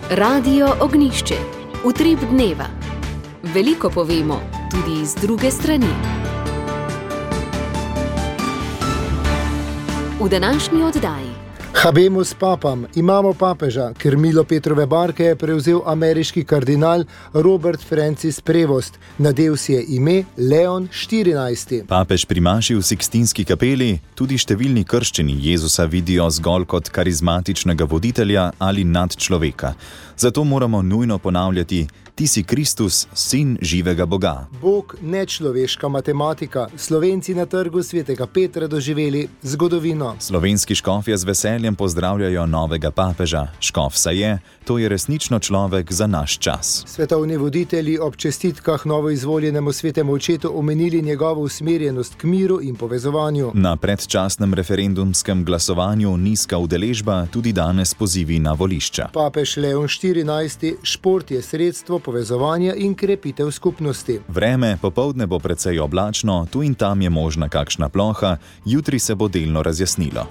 Radio Ognišče, utrip dneva. Veliko povemo, tudi z druge strani. V današnji oddaji. Habemus papam, imamo papeža, Krmilo Petrove barke je prevzel ameriški kardinal Robert Francis Prevost. Nadel si je ime Leon XIV. Papež pri maši v Sikstinski kapeli, tudi številni krščeni Jezusa vidijo zgolj kot karizmatičnega voditelja ali nadčloveka. Zato moramo nujno ponavljati: Ti si Kristus, sin živega Boga. Bog, nečloveška matematika, Slovenci na trgu svetega Petra doživeli zgodovino. Slovenski škofje z veseljem pozdravljajo novega papeža. Škof saj je, to je resnično človek za naš čas. Svetovni voditelji ob čestitkah novoizvoljenemu svetemu očetu omenili njegovo usmerjenost k miru in povezovanju. Na predčasnem referendumskem glasovanju nizka udeležba, tudi danes pozivi na volišča. Papež Leon XIV, šport je sredstvo povezovanja in krepitev skupnosti. Vreme popoldne bo precej oblačno, tu in tam je možna kakšna ploha, jutri se bo delno razjasnilo.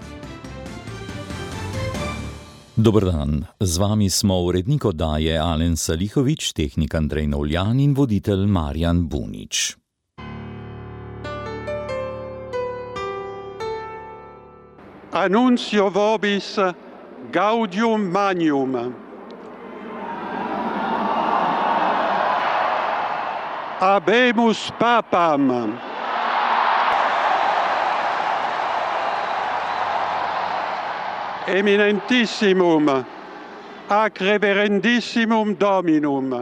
Dober dan, z vami smo urednik oddaje Alen Salihović, tehnik Andrej Novljan in voditelj Marjan Bunič. Annuncio vobis gaudium magnum. Habemus papam. Eminentissimum, ac reverendissimum Dominum.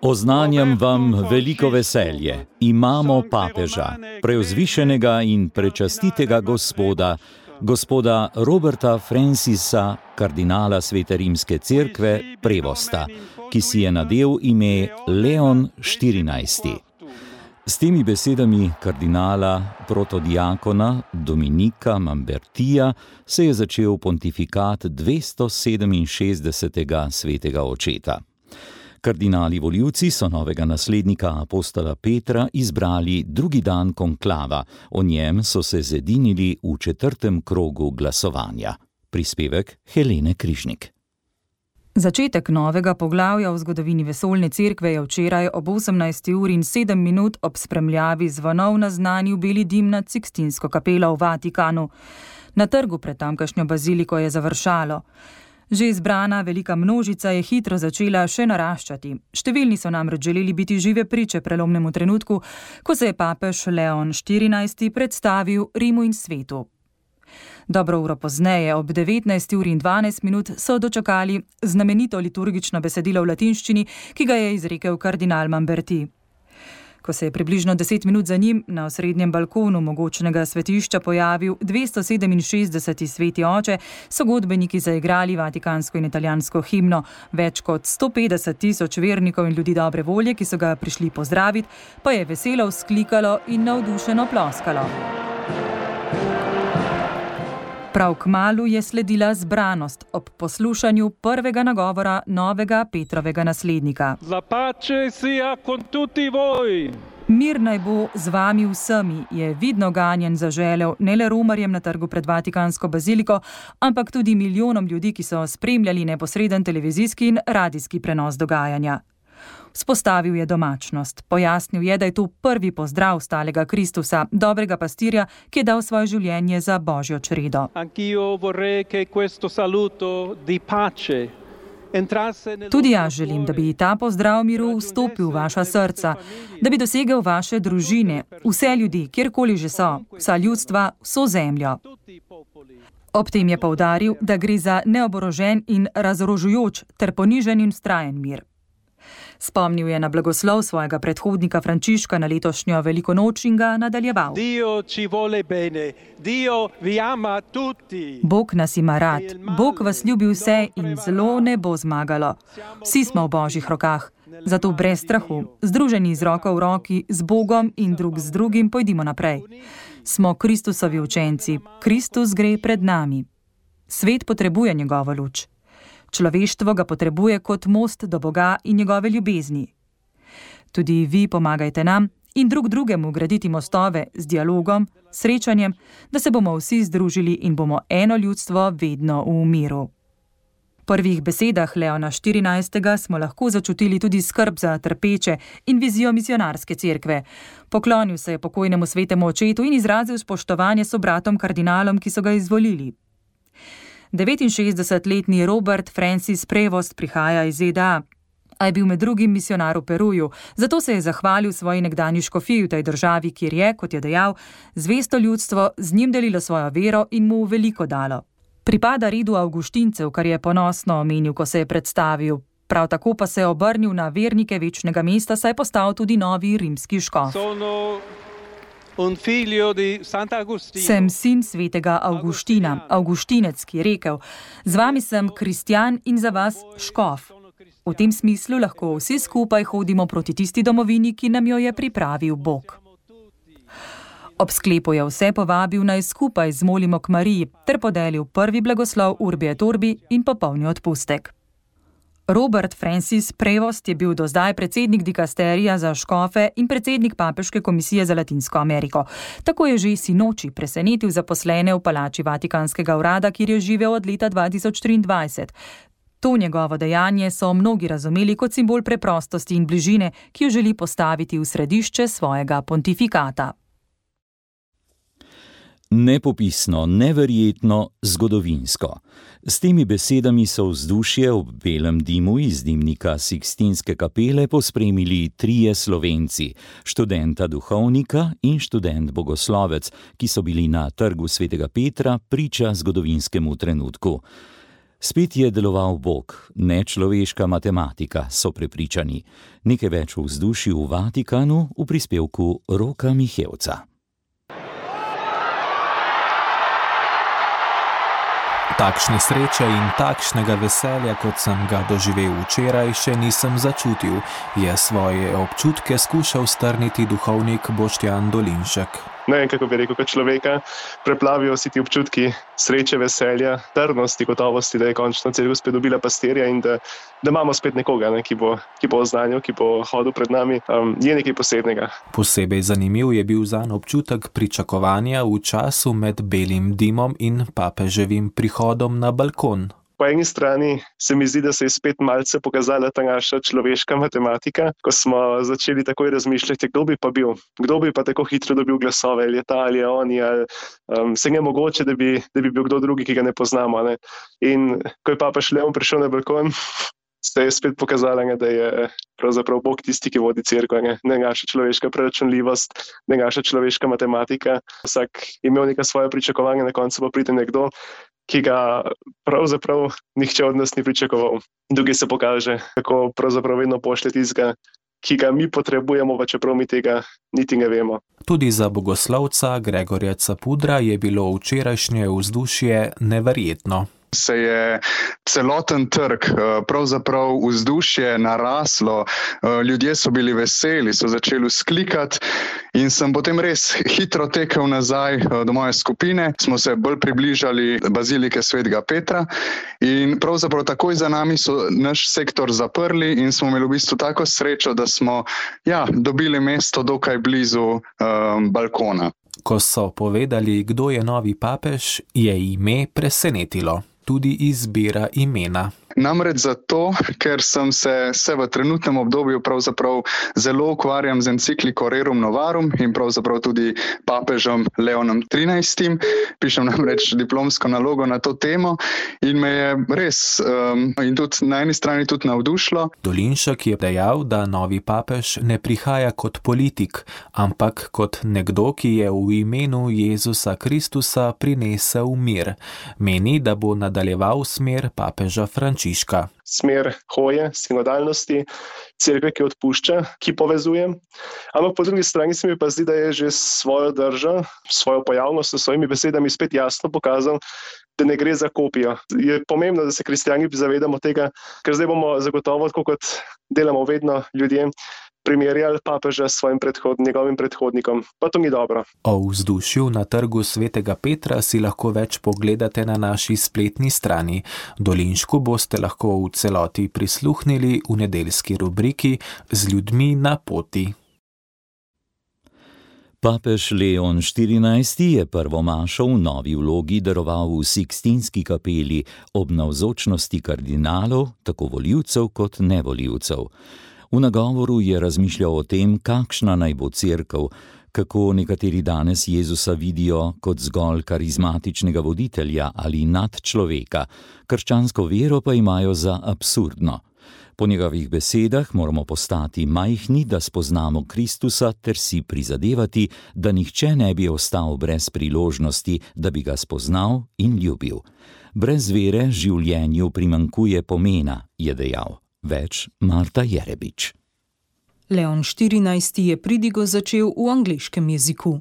Oznanjam vam veliko veselje. Imamo papeža, preuzvišenega in prečastitega gospoda Roberta Francisa, kardinala Svete rimske cerkve, Prevosta, ki si je nadel ime Leon XIV. S temi besedami kardinala protodiakona Dominika Mambertija se je začel pontifikat 267. svetega očeta. Kardinali volivci so novega naslednika apostola Petra izbrali drugi dan konklava, o njem so se zedinili v 4. krogu glasovanja. Prispevek Helene Križnik. Začetek novega poglavja v zgodovini vesoljne cerkve je včeraj ob 18:07 ob spremljavi zvonov naznanil beli dim nad Sikstinsko kapelo v Vatikanu. Na trgu pred tamkajšnjo baziliko je završalo. Že izbrana velika množica je hitro začela še naraščati. Številni so namreč želeli biti žive priče prelomnemu trenutku, ko se je papež Leon XIV predstavil Rimu in svetu. Dobro uro pozneje, ob 19:12 so dočakali znamenito liturgično besedilo v latinščini, ki ga je izrekel kardinal Mamberti. Ko se je približno 10 minut za njim na osrednjem balkonu mogočnega svetišča pojavil 267. sveti oče, so godbeniki zaigrali vatikansko in italijansko himno. Več kot 150.000 vernikov in ljudi dobre volje, ki so ga prišli pozdraviti, pa je veselo vzklikalo in navdušeno ploskalo. Prav kmalu je sledila zbranost ob poslušanju prvega nagovora novega Petrovega naslednika. La pace sia con tutti voi. Mir naj bo z vami vsemi, je vidno ganjen zaželel ne le romarjem na trgu pred Vatikansko baziliko, ampak tudi milijonom ljudi, ki so spremljali neposreden televizijski in radijski prenos dogajanja. Vzpostavil je domačnost. Pojasnil je, da je to prvi pozdrav stalega Kristusa, dobrega pastirja, ki je dal svoje življenje za Božjo čredo. Tudi jaz želim, da bi ta pozdrav miru vstopil v vaša srca, da bi dosegel vaše družine, vse ljudi, kjerkoli že so, vsa ljudstva, vso zemljo. Ob tem je poudaril, da gre za neoborožen in razorožujoč ter ponižen in vztrajen mir. Spomnil je na blagoslov svojega predhodnika Frančiška na letošnjo veliko noč in ga nadaljeval. Bog nas ima rad, Bog vas ljubi vse in zlo ne bo zmagalo. Vsi smo v Božjih rokah, zato brez strahu, združeni z roko v roki, z Bogom in drug z drugim pojdimo naprej. Smo Kristusovi učenci, Kristus gre pred nami. Svet potrebuje njegovo luč. Človeštvo ga potrebuje kot most do Boga in njegove ljubezni. Tudi vi pomagajte nam in drug drugemu graditi mostove z dialogom, srečanjem, da se bomo vsi združili in bomo eno ljudstvo vedno v miru. prvih besedah Leona XIV. Smo lahko začutili tudi skrb za trpeče in vizijo misionarske cerkve. Poklonil se je pokojnemu svetemu očetu in izrazil spoštovanje sobratom kardinalom, ki so ga izvolili. 69-letni Robert Francis Prevost prihaja iz ZDA, a je bil med drugim misionar v Peruju, zato se je zahvalil svoji nekdanji škofiji v tej državi, kjer je, kot je dejal, zvesto ljudstvo z njim delilo svojo vero in mu veliko dalo. Pripada redu Avguštincev, kar je ponosno omenil, ko se je predstavil. Prav tako pa se je obrnil na vernike večnega mesta, saj je postal tudi novi rimski škof. Sem sin svetega Avguština, Avguštinec, ki je rekel: z vami sem kristjan in za vas škof. V tem smislu lahko vsi skupaj hodimo proti tisti domovini, ki nam jo je pripravil Bog. Ob sklepu je vse povabil, naj skupaj zmolimo k Mariji, ter podelil prvi blagoslov Urbi et Orbi in popolni odpustek. Robert Francis Prevost je bil do zdaj predsednik dikasterija za škofe in predsednik papeške komisije za Latinsko Ameriko. Tako je že sinoči presenetil zaposlene v palači Vatikanskega urada, kjer je živel od leta 2023. To njegovo dejanje so mnogi razumeli kot simbol preprostosti in bližine, ki jo želi postaviti v središče svojega pontifikata. Nepopisno, neverjetno, zgodovinsko. S temi besedami so vzdušje ob belem dimu iz dimnika Sikstinske kapele pospremili trije Slovenci, študenta duhovnika in študent bogoslovec, ki so bili na trgu svetega Petra priča zgodovinskemu trenutku. Spet je deloval Bog, ne človeška matematika, so prepričani. Nekaj več o vzdušju v Vatikanu v prispevku Roka Mihevca. Takšne sreče in takšnega veselja, kot sem ga doživel včeraj, še nisem začutil, je svoje občutke skušal strniti duhovnik Boštjan Dolinšek. Ne vem, kako bi rekel, kot človeka, preplavijo si ti občutki sreče, veselja, trdnosti, gotovosti, da je končno cerkev spet dobila pastirja in da imamo spet nekoga, ki bo oznanjal, ki bo hodil pred nami, je nekaj posebnega. Posebej zanimiv je bil zanj občutek pričakovanja v času med belim dimom in papeževim prihodom na balkon. Po eni strani se mi zdi, da se je spet malce pokazala ta naša človeška matematika, ko smo začeli takoj razmišljati, kdo bi pa bil, kdo bi pa tako hitro dobil glasove, ali je ta, ali je oni, ali se je mogoče, da bi bil kdo drugi, ki ga ne poznamo. Ne? In ko je papež Leon prišel na balkon, se je spet pokazala, da je pravzaprav Bog tisti, ki vodi cerkev, ne naša človeška preračunljivost, ne naša človeška matematika. Vsak imel neka svoja pričakovanja, na koncu pa pride nekdo, ki ga pravzaprav nihče od nas ni pričakoval. Drugi se pokaže, kako pravzaprav vedno pošlje tistega, ki ga mi potrebujemo, pa čeprav mi tega niti ne vemo. Tudi za bogoslovca Gregorja Capudra je bilo včerajšnje vzdušje neverjetno. Se je celoten trg, pravzaprav vzdušje naraslo, ljudje so bili veseli, so začeli vzklikati in sem potem res hitro tekel nazaj do moje skupine. Smo se bolj približali bazilike svetega Petra in pravzaprav takoj za nami so naš sektor zaprli in smo imeli v bistvu tako srečo, da smo dobili mesto dokaj blizu balkona. Ko so povedali, kdo je novi papež, je ime presenetilo. Tudi izbira imena. Namreč zato, ker sem se v trenutnem obdobju pravzaprav zelo ukvarjam z encikliko Rerum Novarum in pravzaprav tudi papežem Leonom XIII. Pišem namreč diplomsko nalogo na to temo in me je res in tudi na eni strani tudi navdušilo. Dolinšek je dejal, da novi papež ne prihaja kot politik, ampak kot nekdo, ki je v imenu Jezusa Kristusa prinesel mir. Meni, da bo nadaljeval smer papeža Frančiška. Smer hoje, sinodalnosti, cerkve, ki odpušča, ki povezuje. Ampak po drugi strani se mi pa zdi, da je že svojo držo, svojo pojavnost s svojimi besedami spet jasno pokazal, da ne gre za kopijo. Je pomembno, da se kristjani zavedamo tega, ker zdaj bomo zagotovo, tako kot delamo vedno ljudje, primerjali papeža s svojim njegovim predhodnikom. Pa to ni dobro. O vzdušju na trgu svetega Petra si lahko več pogledate na naši spletni strani. Dolinšku boste lahko v celoti prisluhnili v nedeljski rubriki Z ljudmi na poti. Papež Leon XIV. Je prvo mašo v novi vlogi daroval v Sikstinski kapeli ob navzočnosti kardinalov, tako volivcev kot nevolivcev. V nagovoru je razmišljal o tem, kakšna naj bo cerkev, kako nekateri danes Jezusa vidijo kot zgolj karizmatičnega voditelja ali nadčloveka, krščansko vero pa imajo za absurdno. Po njegovih besedah moramo postati majhni, da spoznamo Kristusa ter si prizadevati, da nihče ne bi ostal brez priložnosti, da bi ga spoznal in ljubil. Brez vere življenju primanjkuje pomena, je dejal. Več Marta Jerebič. Leon XIV. Je pridigo začel v angleškem jeziku.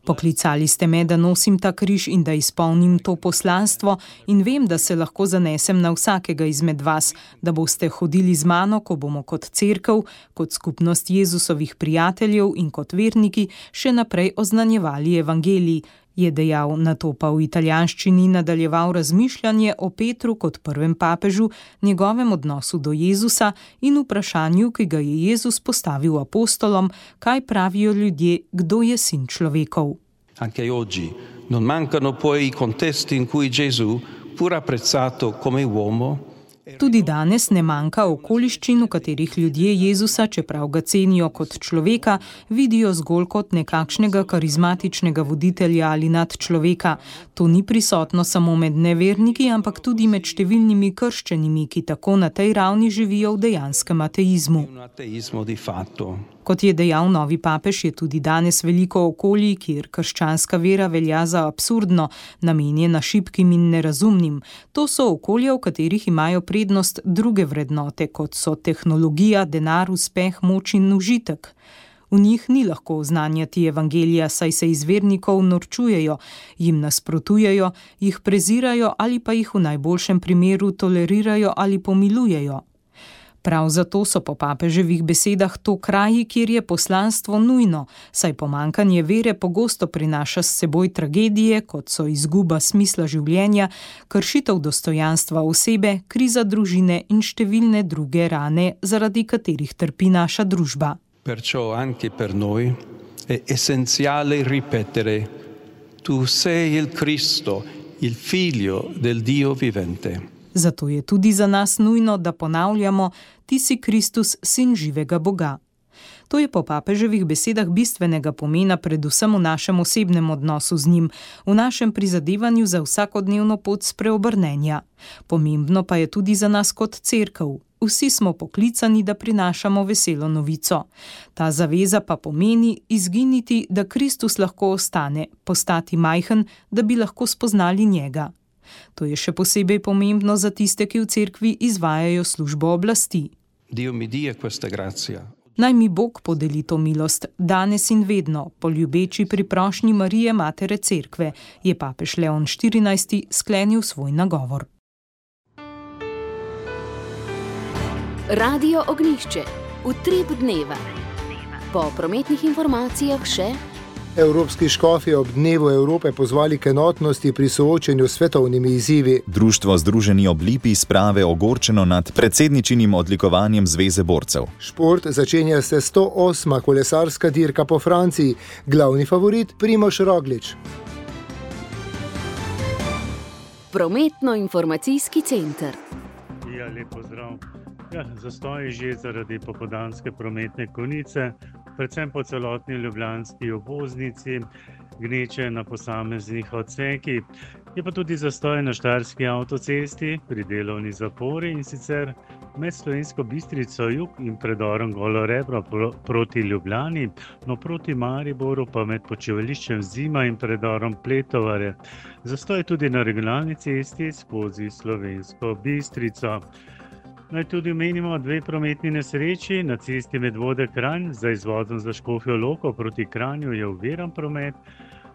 Poklicali ste me, da nosim ta križ in da izpolnim to poslanstvo in vem, da se lahko zanesem na vsakega izmed vas, da boste hodili z mano, ko bomo kot cerkev, kot skupnost Jezusovih prijateljev in kot verniki še naprej oznanjevali evangelij, je dejal, nato pa v italijanščini nadaljeval razmišljanje o Petru kot prvem papežu, njegovem odnosu do Jezusa in vprašanju, ki ga je Jezus postavil apostolom, kaj pravijo ljudje, kdo je sin človekov. Anche oggi non mancano poi i contesti in cui Gesù, pur apprezzato come uomo, Tudi danes ne manjka okoliščin, v katerih ljudje Jezusa, čeprav ga cenijo kot človeka, vidijo zgolj kot nekakšnega karizmatičnega voditelja ali nadčloveka. To ni prisotno samo med neverniki, ampak tudi med številnimi krščenimi, ki tako na tej ravni živijo v dejanskem ateizmu. Kot je dejal novi papež, je tudi danes veliko okolij, kjer krščanska vera velja za absurdno, namenjena šibkim in nerazumnim. To so okolja, v katerih imajo prednost druge vrednote, kot so tehnologija, denar, uspeh, moč in užitek. V njih ni lahko oznanjati evangelija, saj se iz vernikov norčujejo, jim nasprotujejo, jih prezirajo ali pa jih v najboljšem primeru tolerirajo ali pomilujejo. Prav zato so po papeževih besedah to kraji, kjer je poslanstvo nujno, saj pomanjkanje vere pogosto prinaša s seboj tragedije, kot so izguba smisla življenja, kršitev dostojanstva osebe, kriza družine in številne druge rane, zaradi katerih trpi naša družba. Perciò anche per noi è essenziale ripetere: Tu sei il Cristo, il Figlio del Dio vivente. Zato je tudi za nas nujno, da ponavljamo: Ti si Kristus, sin živega Boga. To je po papeževih besedah bistvenega pomena predvsem v našem osebnem odnosu z njim, v našem prizadevanju za vsakodnevno pot spreobrnenja. Pomembno pa je tudi za nas kot cerkev. Vsi smo poklicani, da prinašamo veselo novico. Ta zaveza pa pomeni izginiti, da Kristus lahko ostane, postati majhen, da bi lahko spoznali njega. To je še posebej pomembno za tiste, ki v cerkvi izvajajo službo oblasti. Naj mi Bog podeli to milost, danes in vedno, po ljubeči priprošnji Marije, matere cerkve, je papež Leon XIV. Sklenil svoj nagovor. Radio Ognjišče, utrip dneva. Po prometnih informacijah še: Evropski škofi ob Dnevu Evrope pozvali k enotnosti pri soočenju s svetovnimi izzivi. Društvo Združeni ob Lipi sprave ogorčeno nad predsedničinim odlikovanjem Zveze borcev. Šport začenja se 108. kolesarska dirka po Franciji. Glavni favorit Primož Roglič. Prometno-informacijski center. Ja, lep pozdrav. Zastoj že zaradi popoldanske prometne konice, predvsem po celotni ljubljanski obvoznici, gneče na posameznih odsekih. Je pa tudi zastoj na Štajerski avtocesti pri delovni zapori, in sicer med Slovensko Bistrico jug in predorom Golo Rebro proti Ljubljani, no proti Mariboru pa med počivališčem Zima in predorom Pletovare. Zastoj tudi na regionalni cesti skozi Slovensko Bistrico. Naj tudi omenimo dve prometni nesreči. Na cesti Medvode-Kranj za izvodom za Škofjo Loko proti Kranju je oviran promet,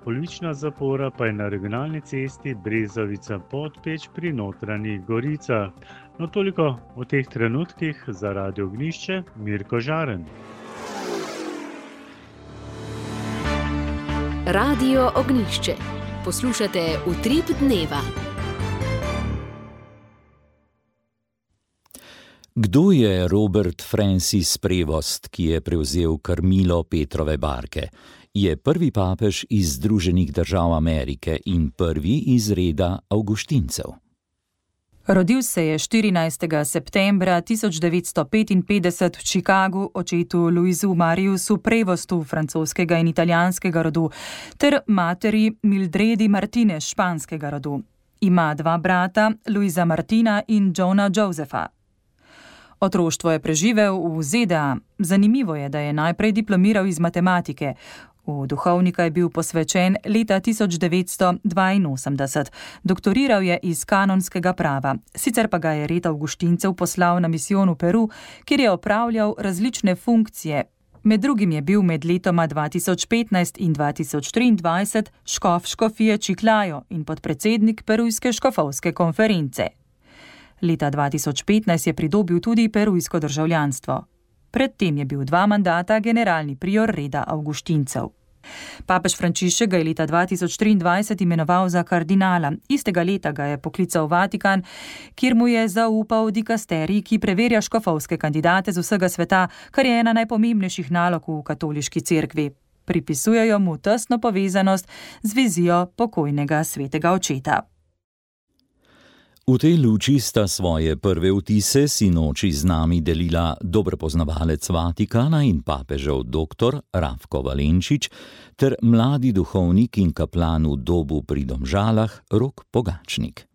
polovična zapora pa je na regionalni cesti Brezovica-Podpeč pri Notranjih Goricah. No, toliko o teh trenutkih. Za Radio Ognjišče, Mirko Žaren. Radio Ognjišče. Poslušate utrip dneva. Kdo je Robert Francis Prevost, ki je prevzel krmilo Petrove barke? Je prvi papež iz Združenih držav Amerike in prvi iz reda avguštincev. Rodil se je 14. septembra 1955 v Chicagu očetu Louisu Mariusu Prevostu francoskega in italijanskega rodu ter materi Mildredi Martinez španskega rodu. Ima dva brata, Luisa Martina in Johna Josepha. Otroštvo je preživel v ZDA. Zanimivo je, da je najprej diplomiral iz matematike. V duhovnika je bil posvečen leta 1982. Doktoriral je iz kanonskega prava. Sicer pa ga je red avguštincev poslal na misijon v Peru, kjer je opravljal različne funkcije. Med drugim je bil med letoma 2015 in 2023 škof škofije Chiclayo in podpredsednik Perujske škofovske konference. Leta 2015 je pridobil tudi perujsko državljanstvo. Predtem je bil 2 mandata generalni prior reda avguštincev. Papež Frančišek ga je leta 2023 imenoval za kardinala. Istega leta ga je poklical v Vatikan, kjer mu je zaupal dikasterij, ki preverja škofovske kandidate z vsega sveta, kar je ena najpomembnejših nalog v katoliški cerkvi. Pripisujejo mu tesno povezanost z vizijo pokojnega svetega očeta. V tej luči sta svoje prve vtise sinoči z nami delila dober poznavalec Vatikana in papežev dr. Rafko Valenčič ter mladi duhovnik in kaplan v Dobu pri Domžalah Rok Pogačnik.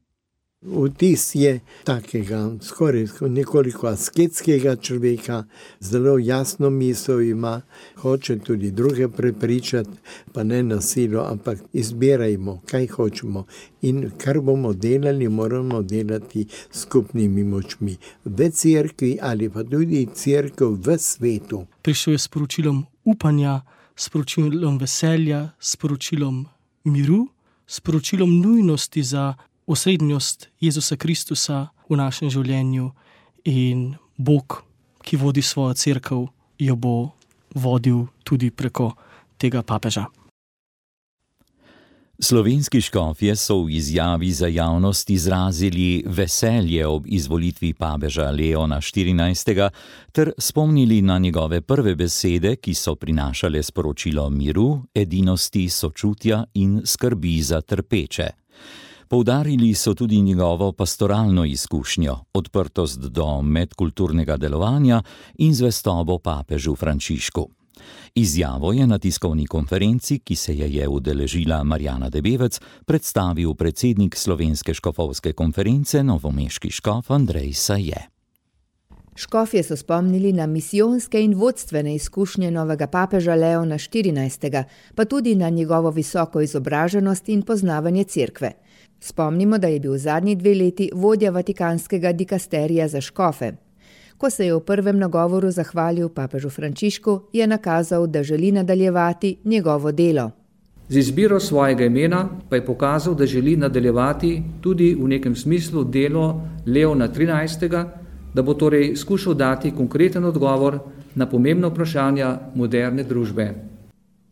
Vtis je takega, skoraj nekoliko asketskega človeka, zelo jasno misel ima, hoče tudi druge prepričati, pa ne na silo, ampak izbirajmo, kaj hočemo in kar bomo delali, moramo delati skupnimi močmi. V cerkvi ali pa tudi cerkev v svetu. Prišel je s sporočilom upanja, s sporočilom veselja, s sporočilom miru, s sporočilom nujnosti za osrednjost Jezusa Kristusa v našem življenju in Bog, ki vodi svojo cerkev, jo bo vodil tudi preko tega papeža. Slovenski škofje so v izjavi za javnost izrazili veselje ob izvolitvi papeža Leona XIV. Ter spomnili na njegove prve besede, ki so prinašale sporočilo miru, edinosti, sočutja in skrbi za trpeče. Poudarili so tudi njegovo pastoralno izkušnjo, odprtost do medkulturnega delovanja in zvestobo papežu Frančišku. Izjavo je na tiskovni konferenci, ki se je udeležila Marjana Debevec, predstavil predsednik Slovenske škofovske konference, novomeški škof Andrej Saje. Škofje so spomnili na misijonske in vodstvene izkušnje novega papeža Leona XIV., pa tudi na njegovo visoko izobraženost in poznavanje cerkve. Spomnimo, da je bil zadnji 2 leti vodja vatikanskega dikasterija za škofe. Ko se je v prvem nagovoru zahvalil papežu Frančišku, je nakazal, da želi nadaljevati njegovo delo. Z izbiro svojega imena pa je pokazal, da želi nadaljevati tudi v nekem smislu delo Leona XIII., da bo torej skušal dati konkreten odgovor na pomembna vprašanja moderne družbe.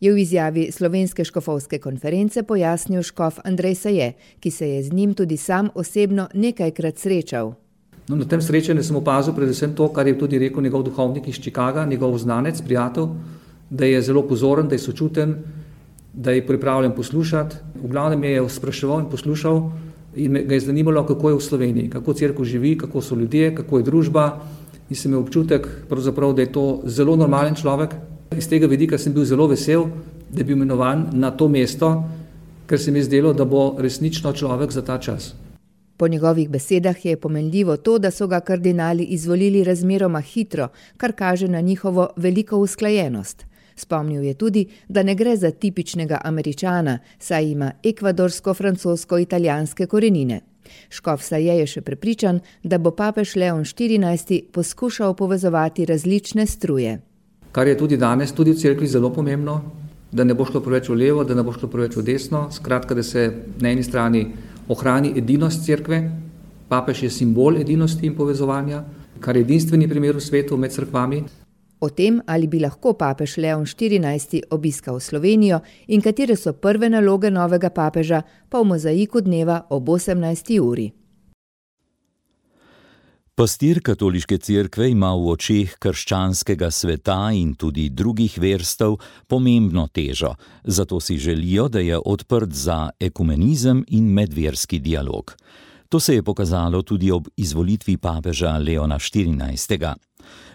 Je v izjavi Slovenske škofovske konference pojasnil škof Andrej Saje, ki se je z njim tudi sam osebno nekajkrat srečal. Na tem srečanju sem opazil predvsem to, kar je tudi rekel njegov duhovnik iz Chicaga, njegov znanec, prijatelj, da je zelo pozoren, da je sočuten, da je pripravljen poslušati. V glavnem je spraševal in poslušal in me ga je zanimalo, kako je v Sloveniji, kako cerkev živi, kako so ljudje, kako je družba. In sem imel občutek, da je to zelo normalen človek. Iz tega vidika sem bil zelo vesel, da je bil imenovan na to mesto, ker se mi je zdelo, da bo resnično človek za ta čas. Po njegovih besedah je pomenljivo to, da so ga kardinali izvolili razmeroma hitro, kar kaže na njihovo veliko usklajenost. Spomnil je tudi, da ne gre za tipičnega Američana, saj ima ekvadorsko-francosko-italijanske korenine. Škof Saje je še prepričan, da bo papež Leon XIV. Poskušal povezovati različne struje. Kar je tudi danes, tudi v cerkvi zelo pomembno, da ne bo šlo preveč v levo, da ne bo šlo preveč v desno, skratka, da se na eni strani ohrani edinost cerkve. Papež je simbol edinosti in povezovanja, kar je edinstveni primer v svetu med cerkvami. O tem, ali bi lahko papež Leon XIV. Obiskal Slovenijo in katere so prve naloge novega papeža, pa v mozaiku dneva ob 18. uri. Pastir katoliške cerkve ima v očeh krščanskega sveta in tudi drugih verstev pomembno težo, zato si želijo, da je odprt za ekumenizem in medverski dialog. To se je pokazalo tudi ob izvolitvi papeža Leona XIV.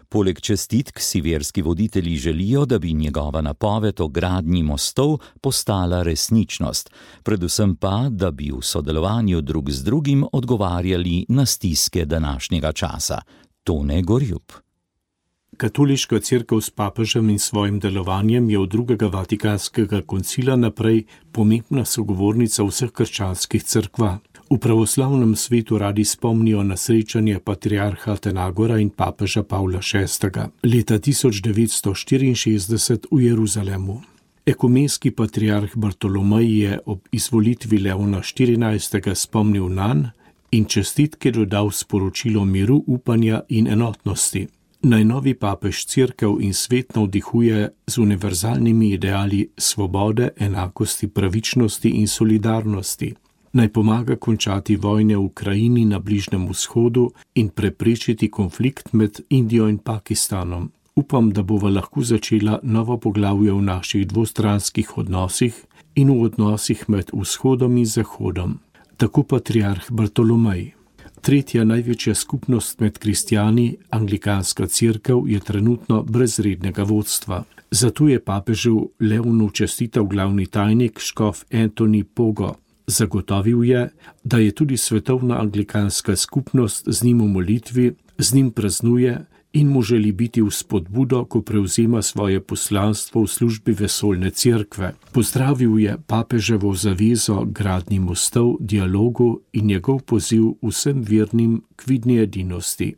Poleg čestitk si verski voditelji želijo, da bi njegova napoved o gradnji mostov postala resničnost, predvsem pa, da bi v sodelovanju drug z drugim odgovarjali na stiske današnjega časa. Tone Gorjup. Katoliška cerkev s papežem in svojim delovanjem je od drugega Vatikanskega koncila naprej pomembna sogovornica vseh krščanskih cerkva. V pravoslavnem svetu radi spomnijo na srečanje patriarha Atenagora in papeža Pavla VI. Leta 1964 v Jeruzalemu. Ekumenski patriarh Bartolomej je ob izvolitvi Leona XIV. Spomnil nanj in čestitke dodal sporočilo miru, upanja in enotnosti. Najnovi papež cerkev in svet navdihuje z univerzalnimi ideali svobode, enakosti, pravičnosti in solidarnosti. Naj pomaga končati vojne v Ukrajini, na Bližnjem vzhodu in preprečiti konflikt med Indijo in Pakistanom. Upam, da bova lahko začela novo poglavje v naših dvostranskih odnosih in v odnosih med vzhodom in zahodom. Tako patriarh Bartolomej. Tretja največja skupnost med kristjani, anglikanska cerkev, je trenutno brez rednega vodstva. Zato je papežu Leonu čestital glavni tajnik škof Anthony Pogo. Zagotovil je, da je tudi svetovna anglikanska skupnost z njim v molitvi, z njim praznuje in mu želi biti v spodbudo, ko prevzema svoje poslanstvo v službi vesoljne cerkve. Pozdravil je papeževo zavezo gradnji mostov, dialogu in njegov poziv vsem vernim k vidni edinosti.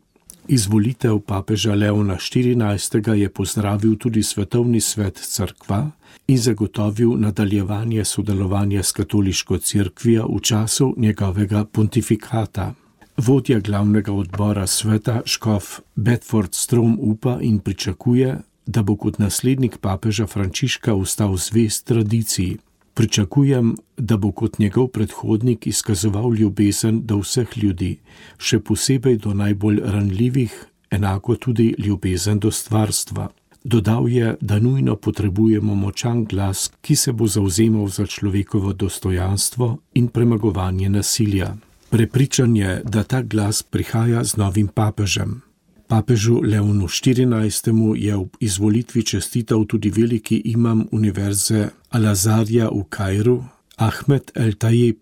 Izvolitev papeža Leona XIV. Je pozdravil tudi svetovni svet cerkva in zagotovil nadaljevanje sodelovanja s katoliško cerkvijo v času njegovega pontifikata. Vodja glavnega odbora sveta škof Bedford Strom upa in pričakuje, da bo kot naslednik papeža Frančiška ostal zvest tradiciji. Pričakujem, da bo kot njegov predhodnik izkazoval ljubezen do vseh ljudi, še posebej do najbolj ranljivih, enako tudi ljubezen do stvarstva. Dodal je, da nujno potrebujemo močan glas, ki se bo zavzemal za človekovo dostojanstvo in premagovanje nasilja. Prepričan je, da ta glas prihaja z novim papežem. Papežu Leonu XIV. Je ob izvolitvi čestital tudi veliki imam univerze Al-Azharja v Kairu, Ahmed El-Tajib.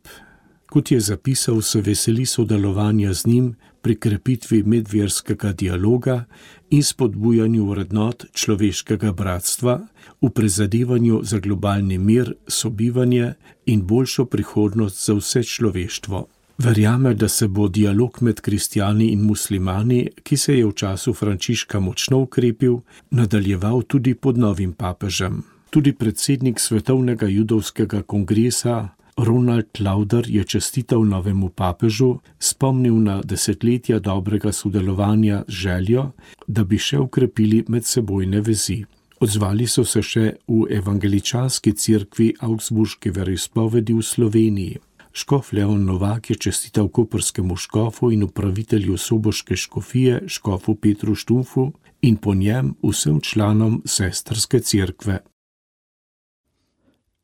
Kot je zapisal, se veseli sodelovanja z njim pri krepitvi medverskega dialoga in spodbujanju vrednot človeškega bratstva, v prizadevanju za globalni mir, sobivanje in boljšo prihodnost za vse človeštvo. Verjame, da se bo dialog med kristjani in muslimani, ki se je v času Frančiška močno ukrepil, nadaljeval tudi pod novim papežem. Tudi predsednik Svetovnega judovskega kongresa Ronald Lauder je čestital novemu papežu, spomnil na desetletja dobrega sodelovanja z željo, da bi še ukrepili medsebojne vezi. Odzvali so se še v evangeličanski cerkvi Augsburške veroizpovedi v Sloveniji. Škof Leon Novak je čestital koprskemu škofu in upravitelju soboške škofije, škofu Petru Štumfu in po njem vsem članom sestrske cerkve.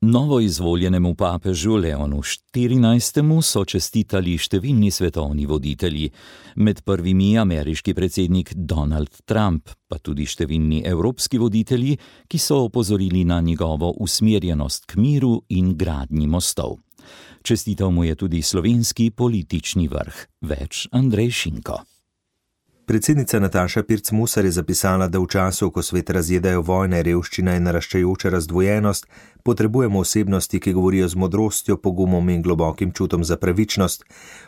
Novo izvoljenemu papežu Leonu XIV. So čestitali številni svetovni voditelji, med prvimi ameriški predsednik Donald Trump, pa tudi številni evropski voditelji, ki so opozorili na njegovo usmerjenost k miru in gradnji mostov. Čestital mu je tudi slovenski politični vrh. Več Andrej Šinko. Predsednica Nataša Pirc-Musar je zapisala, da v času, ko svet razjedajo vojne, revščina in naraščajoča razdvojenost, potrebujemo osebnosti, ki govorijo z modrostjo, pogumom in globokim čutom za pravičnost.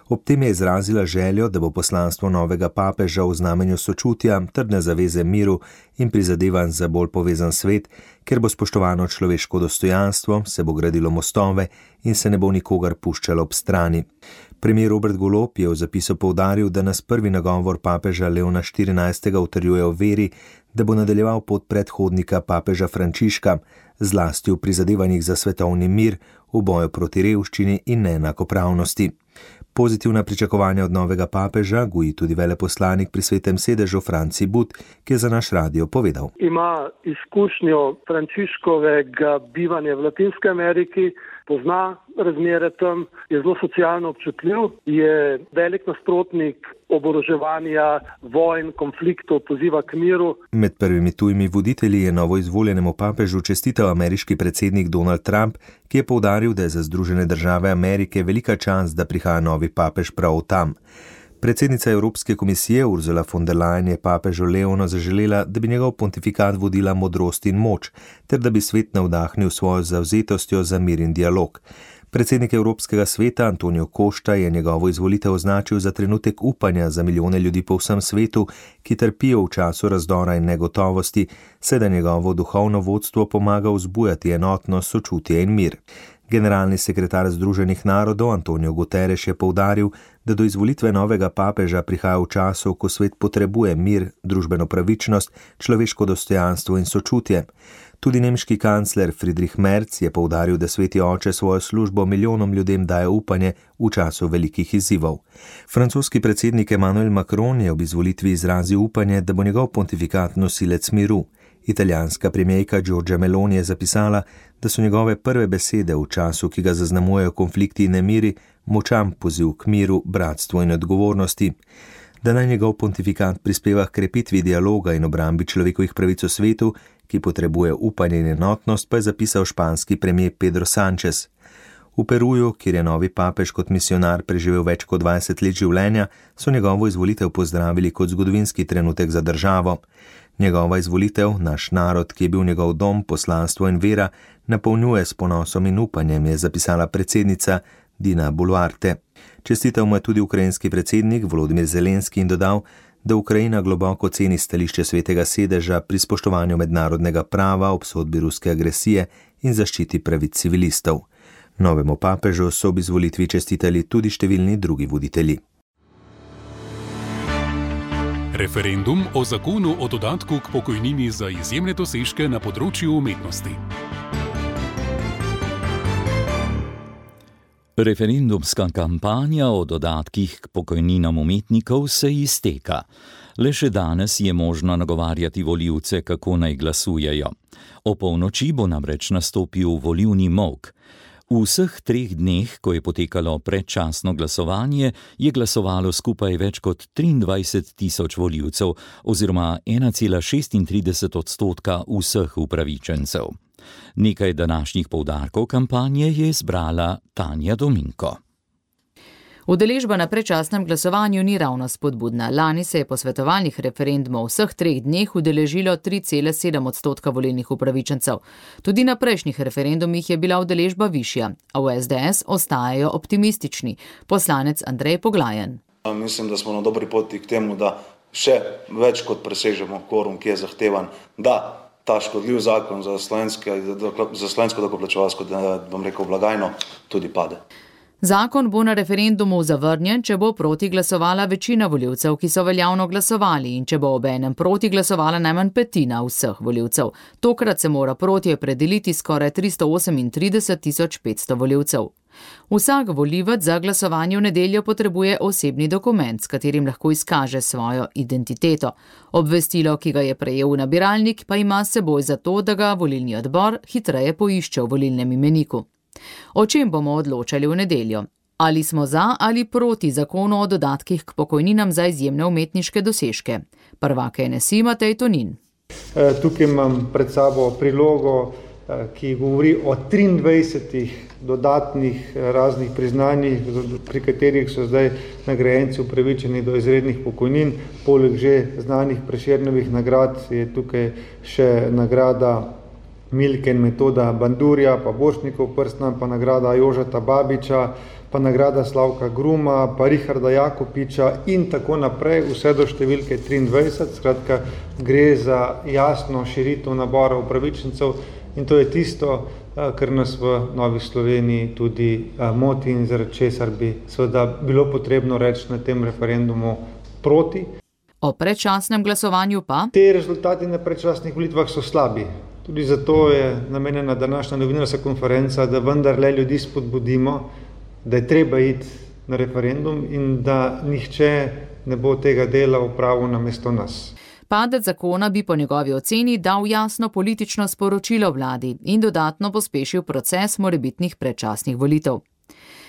Ob tem je izrazila željo, da bo poslanstvo novega papeža v znamenju sočutja, trdne zaveze miru in prizadevanj za bolj povezan svet, ker bo spoštovano človeško dostojanstvo, se bo gradilo mostove in se ne bo nikogar puščalo ob strani. Premier Robert Golob je v zapisu poudaril, da nas prvi nagovor papeža Leona XIV. Utrjuje v veri, da bo nadaljeval pot predhodnika papeža Frančiška, zlasti v prizadevanjih za svetovni mir, v boju proti revščini in neenakopravnosti. Pozitivna pričakovanja od novega papeža goji tudi veleposlanik pri Svetem sedežu Franci But, ki je za naš radio povedal. Ima izkušnjo Frančiškovega bivanja v Latinski Ameriki, pozna razmere tam, je zelo socialno občutljiv, je velik nasprotnik oboroževanja, vojn, konfliktov, poziva k miru. Med prvimi tujimi voditelji je novoizvoljenemu papežu čestital ameriški predsednik Donald Trump, ki je poudaril, da je za Združene države Amerike velika čast, da prihaja novi papež prav tam. Predsednica Evropske komisije Ursula von der Leyen je papežu Leonu zaželela, da bi njegov pontifikat vodila modrost in moč, ter da bi svet navdahnil svojo zavzetostjo za mir in dialog. Predsednik Evropskega sveta Antonio Costa je njegovo izvolitev označil za trenutek upanja za milijone ljudi po vsem svetu, ki trpijo v času razdora in negotovosti, saj da njegovo duhovno vodstvo pomaga vzbujati enotnost, sočutje in mir. Generalni sekretar Združenih narodov Antonio Guterres je poudaril, da do izvolitve novega papeža prihaja v času, ko svet potrebuje mir, družbeno pravičnost, človeško dostojanstvo in sočutje. Tudi nemški kancler Friedrich Merz je poudaril, da Sveti oče svojo službo milijonom ljudem daje upanje v času velikih izzivov. Francoski predsednik Emmanuel Macron je ob izvolitvi izrazil upanje, da bo njegov pontifikat nosilec miru. Italijanska premijerka Giorgia Meloni je zapisala, da so njegove prve besede v času, ki ga zaznamujejo konflikti in nemiri, močan poziv k miru, bratstvu in odgovornosti. Da naj njegov pontifikat prispeva k krepitvi dialoga in obrambi človekovih pravic v svetu, ki potrebuje upanje in enotnost, pa je zapisal španski premijer Pedro Sánchez. V Peruju, kjer je novi papež kot misionar preživel več kot 20 let življenja, so njegovo izvolitev pozdravili kot zgodovinski trenutek za državo. Njegova izvolitev, naš narod, ki je bil njegov dom, poslanstvo in vera, napolnjuje s ponosom in upanjem, je zapisala predsednica Dina Boluarte. Čestital mu je tudi ukrajinski predsednik Volodymyr Zelenski in dodal, da Ukrajina globoko ceni stališče Svetega sedeža pri spoštovanju mednarodnega prava, obsodbi ruske agresije in zaščiti pravic civilistov. Novemu papežu so ob izvolitvi čestitali tudi številni drugi voditelji. Referendum o zakonu o dodatku k pokojnini za izjemne dosežke na področju umetnosti. Referendumska kampanja o dodatkih k pokojninam umetnikov se izteka. Le še danes je možno nagovarjati volivce, kako naj glasujejo. O polnoči bo namreč nastopil volilni molk. V vseh 3 dneh, ko je potekalo predčasno glasovanje, je glasovalo skupaj več kot 23.000 volivcev oziroma 1,36% vseh upravičencev. Nekaj današnjih poudarkov kampanje je zbrala Tanja Dominko. Udeležba na predčasnem glasovanju ni ravno spodbudna. Lani se je posvetovalnih referendumov v vseh 3 dneh udeležilo 3,7% volilnih upravičencev. Tudi na prejšnjih referendumih je bila udeležba višja, a v SDS ostajajo optimistični. Poslanec Andrej Poglajen. Mislim, da smo na dobri poti k temu, da še več kot presežemo kvorum, ki je zahtevan, da ta škodljiv zakon za slovensko davkoplačevalsko, blagajno tudi pade. Zakon bo na referendumu zavrnjen, če bo proti glasovala večina volivcev, ki so veljavno glasovali, in če bo obenem proti glasovala najmanj petina vseh volivcev. Tokrat se mora proti opredeliti skoraj 338.500 volivcev. Vsak volivec za glasovanje v nedeljo potrebuje osebni dokument, s katerim lahko izkaže svojo identiteto. Obvestilo, ki ga je prejel v nabiralnik, pa ima s seboj zato, da ga volilni odbor hitreje poišče v volilnem imeniku. O čem bomo odločali v nedeljo? Ali smo za ali proti zakonu o dodatkih k pokojninam za izjemne umetniške dosežke? Prvak NSI Matej Tonin. Tukaj imam pred sabo prilogo, ki govori o 23 dodatnih raznih priznanjih, pri katerih so zdaj nagrajenci upravičeni do izrednih pokojnin. Poleg že znanih Prešernovih nagrad je tukaj še nagrada Milke in Metoda Bandurja, pa Borštnikov Prstna, pa nagrada Jožeta Babiča, pa nagrada Slavka Gruma, pa Richarda Jakopiča in tako naprej, vse do številke 23. Skratka, gre za jasno širitev nabora upravičencev in to je tisto, kar nas v Novi Sloveniji tudi moti in zaradi česar bi seveda bilo potrebno reči na tem referendumu proti. O predčasnem glasovanju pa? Te rezultati na predčasnih volitvah so slabi. Tudi zato je namenjena današnja novinarska konferenca, da vendarle ljudi spodbudimo, da je treba iti na referendum in da nihče ne bo tega dela opravil namesto nas. Padec zakona bi po njegovi oceni dal jasno politično sporočilo vladi in dodatno pospešil proces morebitnih predčasnih volitev.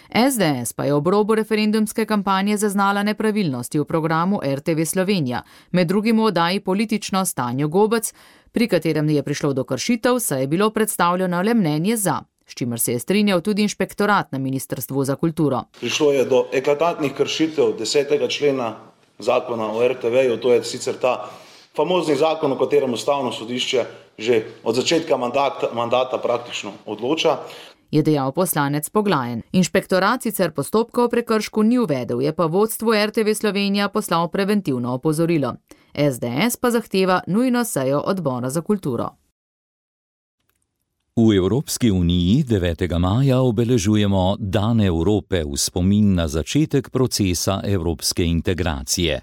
SDS pa je ob robu referendumske kampanje zaznala nepravilnosti v programu RTV Slovenija, med drugim v oddaji Politično s Tanjo Gobec, pri katerem je prišlo do kršitev, saj je bilo predstavljeno le mnenje za, s čimer se je strinjal tudi inšpektorat na Ministrstvu za kulturo. Prišlo je do eklatantnih kršitev 10. člena zakona o RTV-ju, to je sicer ta famozni zakon, o katerem Ustavno sodišče že od začetka mandata praktično odloča. Je dejal poslanec Poglajen. Inšpektorat sicer postopka o prekršku ni uvedel, je pa vodstvu RTV Slovenija poslal preventivno opozorilo. SDS pa zahteva nujno sejo odbora za kulturo. V Evropski uniji 9. maja obeležujemo Dan Evrope v spomin na začetek procesa evropske integracije.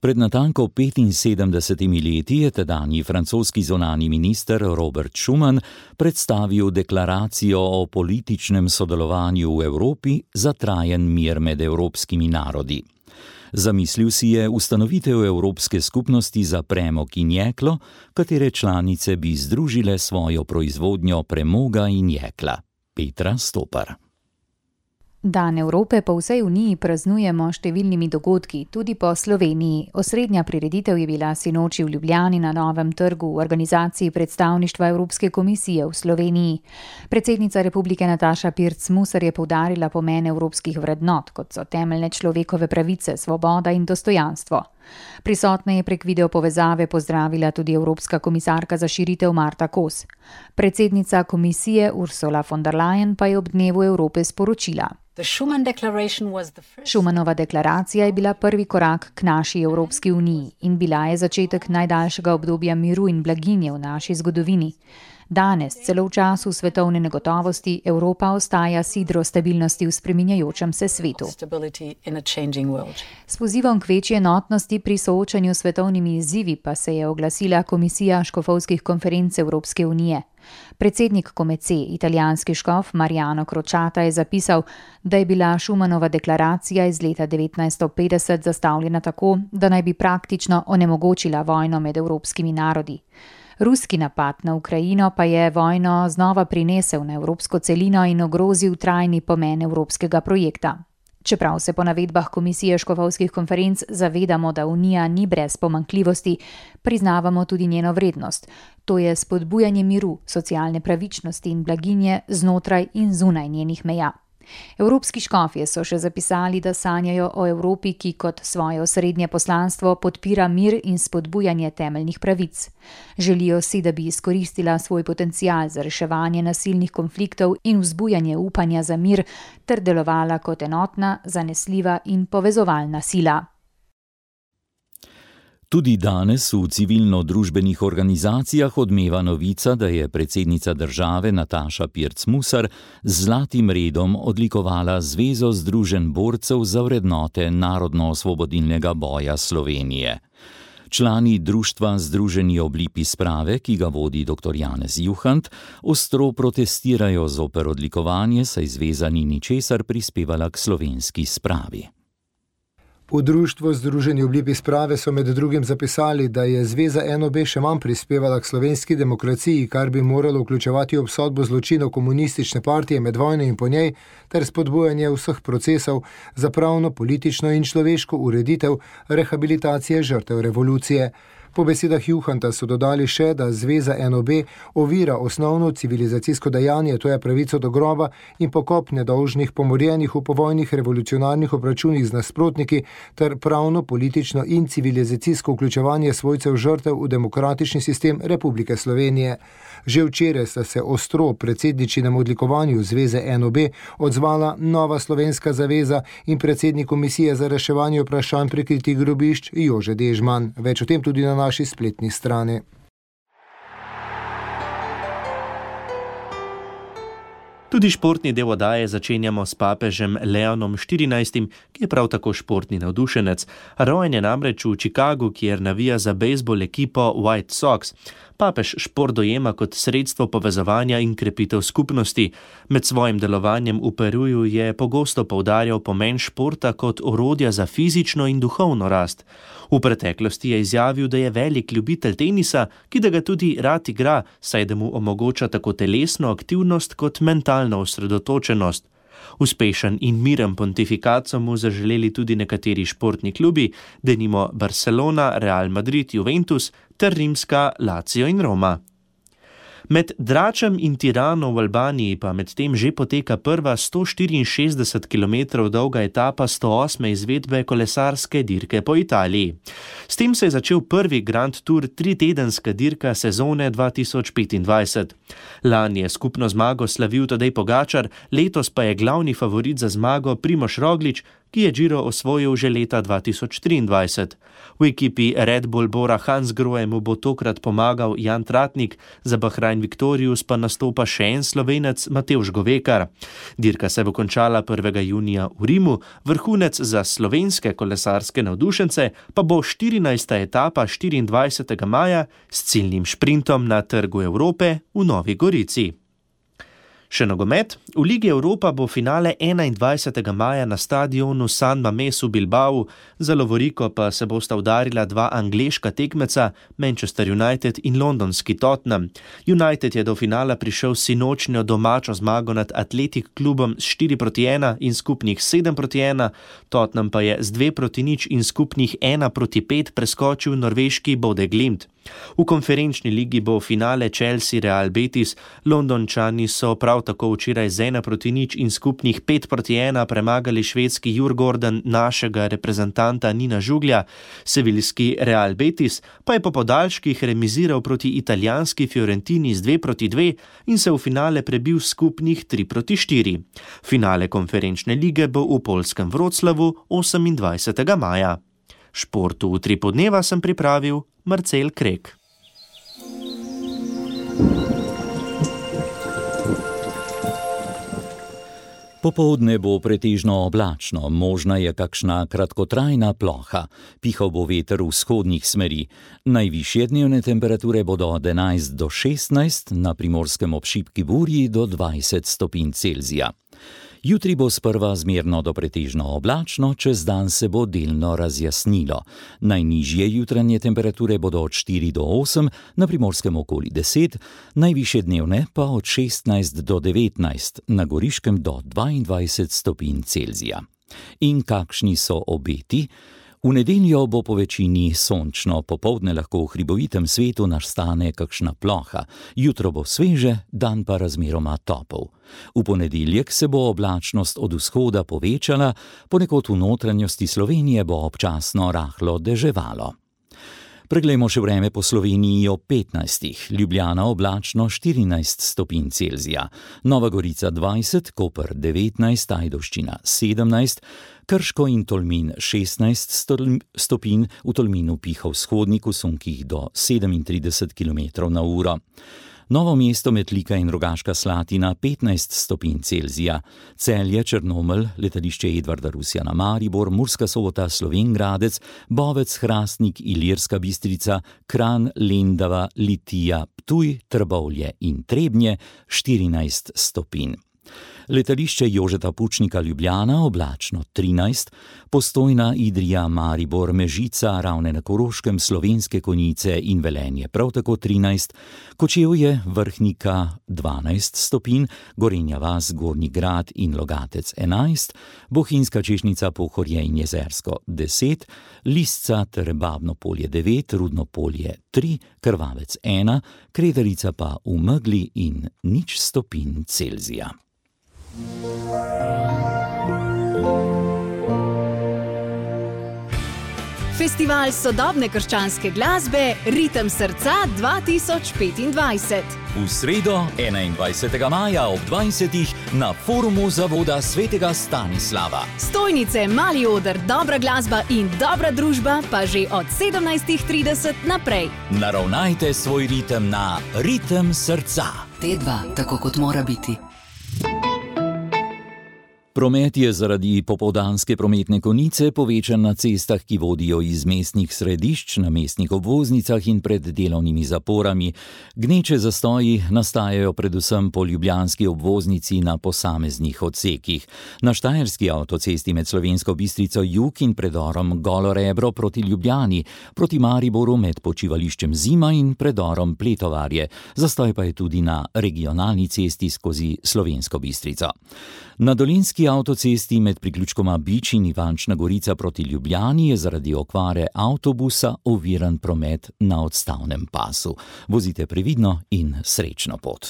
Pred natanko 75 leti je tedanji francoski zunanji minister Robert Schuman predstavil deklaracijo o političnem sodelovanju v Evropi za trajen mir med evropskimi narodi. Zamislil si je ustanovitev Evropske skupnosti za premog in jeklo, katere članice bi združile svojo proizvodnjo premoga in jekla. Petra Stopar. Dan Evrope po vsej Uniji praznujemo številnimi dogodki, tudi po Sloveniji. Osrednja prireditev je bila sinoči v Ljubljani na Novem trgu v organizaciji predstavništva Evropske komisije v Sloveniji. Predsednica Republike Nataša Pirc Musar je poudarila pomen evropskih vrednot, kot so temeljne človekove pravice, svoboda in dostojanstvo. Prisotne je prek video povezave pozdravila tudi Evropska komisarka za širitev Marta Kos. Predsednica komisije Ursula von der Leyen pa je ob dnevu Evrope sporočila. Schumanova deklaracija je bila prvi korak k naši Evropski uniji in bila je začetek najdaljšega obdobja miru in blaginje v naši zgodovini. Danes, celo v času svetovne negotovosti, Evropa ostaja sidro stabilnosti v spreminjajočem se svetu. S pozivom k večji enotnosti pri soočanju s svetovnimi izzivi pa se je oglasila Komisija škofovskih konferenc Evropske unije. Predsednik Komece, italijanski škof Mariano Crociata, je zapisal, da je bila Schumanova deklaracija iz leta 1950 zastavljena tako, da naj bi praktično onemogočila vojno med evropskimi narodi. Ruski napad na Ukrajino pa je vojno znova prinesel na evropsko celino in ogrozil trajni pomen evropskega projekta. Čeprav se po navedbah Komisije škofovskih konferenc zavedamo, da Unija ni brez pomanjkljivosti, priznavamo tudi njeno vrednost. To je spodbujanje miru, socialne pravičnosti in blaginje znotraj in zunaj njenih meja. Evropski škofje so še zapisali, da sanjajo o Evropi, ki kot svoje osrednje poslanstvo podpira mir in spodbujanje temeljnih pravic. Želijo si, da bi izkoristila svoj potencial za reševanje nasilnih konfliktov in vzbujanje upanja za mir ter delovala kot enotna, zanesljiva in povezovalna sila. Tudi danes v civilno-družbenih organizacijah odmeva novica, da je predsednica države Nataša Pirc Musar z zlatim redom odlikovala Zvezo združenj borcev za vrednote narodno-osvobodilnega boja Slovenije. Člani društva Združeni oblipi sprave, ki ga vodi dr. Janez Juhant, ostro protestirajo zoper odlikovanje, saj zveza ni ničesar prispevala k slovenski spravi. V društvu Združeni oblipi sprave so med drugim zapisali, da je zveza NOB še manj prispevala k slovenski demokraciji, kar bi moralo vključevati obsodbo zločinov komunistične partije med vojno in po njej, ter spodbujanje vseh procesov za pravno, politično in človeško ureditev rehabilitacije žrtev revolucije. Po besedah Juhanta so dodali še, da zveza NOB ovira osnovno civilizacijsko dejanje, to je pravico do groba in pokop nedolžnih pomorjenih v povojnih revolucionarnih obračunih z nasprotniki ter pravno, politično in civilizacijsko vključevanje svojcev žrtev v demokratični sistem Republike Slovenije. Že včeraj sta se ostro predsedničinem odlikovanju zveze NOB odzvala Nova slovenska zaveza in predsednik Komisije za reševanje vprašanj prikritih grobišč Jože Dežman. Več o tem tudi na naši spletni strani. Tudi športni del oddaje začenjamo s papežem Leonom XIV, ki je prav tako športni navdušenec. Rojen je namreč v Chicagu, kjer navija za bejzbol ekipo White Sox. Papež šport dojema kot sredstvo povezovanja in krepitev skupnosti. Med svojim delovanjem v Peruju je pogosto poudarjal pomen športa kot orodja za fizično in duhovno rast. V preteklosti je izjavil, da je velik ljubitelj tenisa, ki da ga tudi rad igra, saj da mu omogoča tako telesno aktivnost kot mentalno osredotočenost. Uspešen in miren pontifikat so mu zaželeli tudi nekateri športni klubi, denimo Barcelona, Real Madrid, Juventus ter rimska Lazio in Roma. Med Dračem in Tirano v Albaniji pa medtem že poteka prva 164 km dolga etapa 108. izvedbe kolesarske dirke po Italiji. S tem se je začel prvi Grand Tour 3-tedenska dirka sezone 2025. Lani je skupno zmago slavil Tadej Pogačar, letos pa je glavni favorit za zmago Primož Roglič, ki je Giro osvojil že leta 2023. V ekipi Red Bull Bora Hansgrohe mu bo tokrat pomagal Jan Tratnik, za Bahrain Victorious pa nastopa še en Slovenec Matevž Govekar. Dirka se bo končala 1. junija v Rimu, vrhunec za slovenske kolesarske navdušence pa bo 14. etapa 24. maja s ciljnim šprintom na Trgu Evrope v Novi Gorici. Še nogomet. V Ligi Evropa bo finale 21. maja na stadionu San Mamés v Bilbao, za lovoriko pa se bosta udarila dva angleška tekmeca, Manchester United in londonski Tottenham. United je do finala prišel s sinočnjo domačo zmago nad Athletic klubom s 4-1 in skupnih 7-1, Tottenham pa je z 2-0 in skupnih 1-5 preskočil norveški Bodø Glimt. V konferenčni ligi bo finale Chelsea Real Betis, Londončani so prav tako včeraj z 1-0 in skupnih 5-1 premagali švedski Djurgården našega reprezentanta Nina Žuglja, seviljski Real Betis pa je po podaljških remiziral proti italijanski Fiorentini z 2-2 in se v finale prebil skupnih 3-4. Finale konferenčne lige bo v poljskem Wroclawu 28. maja. Športu v 3 podneva sem pripravil Marcel Krek. Popoldne bo pretežno oblačno, možna je kakšna kratkotrajna ploha. Pihal bo veter vzhodnih smeri. Najvišje dnevne temperature bodo od 11 do 16, na Primorskem ob šibki burji do 20 stopinj Celzija. Jutri bo sprva zmerno do pretežno oblačno, čez dan se bo delno razjasnilo. Najnižje jutranje temperature bodo od 4 do 8, na Primorskem okoli 10, najvišje dnevne pa od 16 do 19, na Goriškem do 22 stopinj Celzija. In kakšni so obeti? V nedeljo bo po večini sončno, popoldne lahko v hribovitem svetu nastane kakšna ploha, jutro bo sveže, dan pa razmeroma topel. V ponedeljek se bo oblačnost od vzhoda povečala, ponekod v notranjosti Slovenije bo občasno rahlo deževalo. Preglejmo še vreme po Sloveniji ob 15. Ljubljana oblačno 14 stopinj Celzija, Nova Gorica 20, Koper 19, Ajdovščina 17, Krško in Tolmin 16 stopinj, v Tolminu piha vzhodnik v sunkih do 37 km/h. Novo mesto, Metlika in Rogaška Slatina 15 stopinj Celzija, Celje, Črnomelj, letališče Edvarda Rusjana Maribor, Murska Sobota, Slovenj Gradec, Bovec, Hrastnik, Ilirska Bistrica, Kranj, Lendava, Litija, Ptuj, Trbovlje in Trebnje 14 stopinj. Letališče Jožeta Pučnika Ljubljana oblačno 13, Postojna, Idrija, Maribor, Mežica, Ravne na Koroškem, Slovenske Konjice in Velenje prav tako 13, Kočevje, Vrhnika 12 stopinj, Gorenja vas, Gornji Grad in Logatec 11, Bohinjska Češnica, Pohorje in Jezersko 10, Lisca ter Babno Polje 9, Rudno Polje 3, Krvavec 1, Kredarica pa v megli in 0 stopinj Celzija. Festival sodobne krščanske glasbe Ritem srca 2025. V sredo 21. maja ob 20. na forumu Zavoda svetega Stanislava. Stojnice, mali oder, dobra glasba in dobra družba pa že od 17:30 naprej. Naravnajte svoj ritem na Ritem srca. T2, tako kot mora biti. Promet je zaradi popoldanske prometne konice povečan na cestah, ki vodijo iz mestnih središč, na mestnih obvoznicah in pred delovnimi zaporami. Gneče zastoji nastajajo predvsem po ljubljanski obvoznici na posameznih odsekih. Na štajerski avtocesti med Slovensko Bistrico jug in predorom Golo Rebro proti Ljubljani, proti Mariboru med počivališčem Zima in predorom Pletovarje. Zastoj pa je tudi na regionalni cesti skozi Slovensko Bistrico. Na dolenjski avtocesti med priključkoma Bič in Ivančna Gorica proti Ljubljani je zaradi okvare avtobusa oviran promet na odstavnem pasu. Vozite previdno in srečno pot.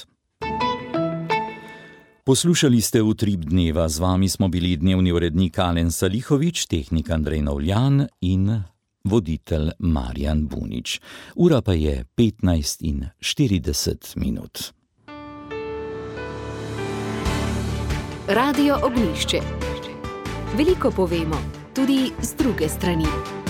Poslušali ste Utrip dneva, z vami smo bili dnevni urednik Alen Salihovič, tehnik Andrej Novljan in voditelj Marjan Bunič. Ura pa je 15:40. Radio Ognjišče. Veliko povemo, tudi z druge strani.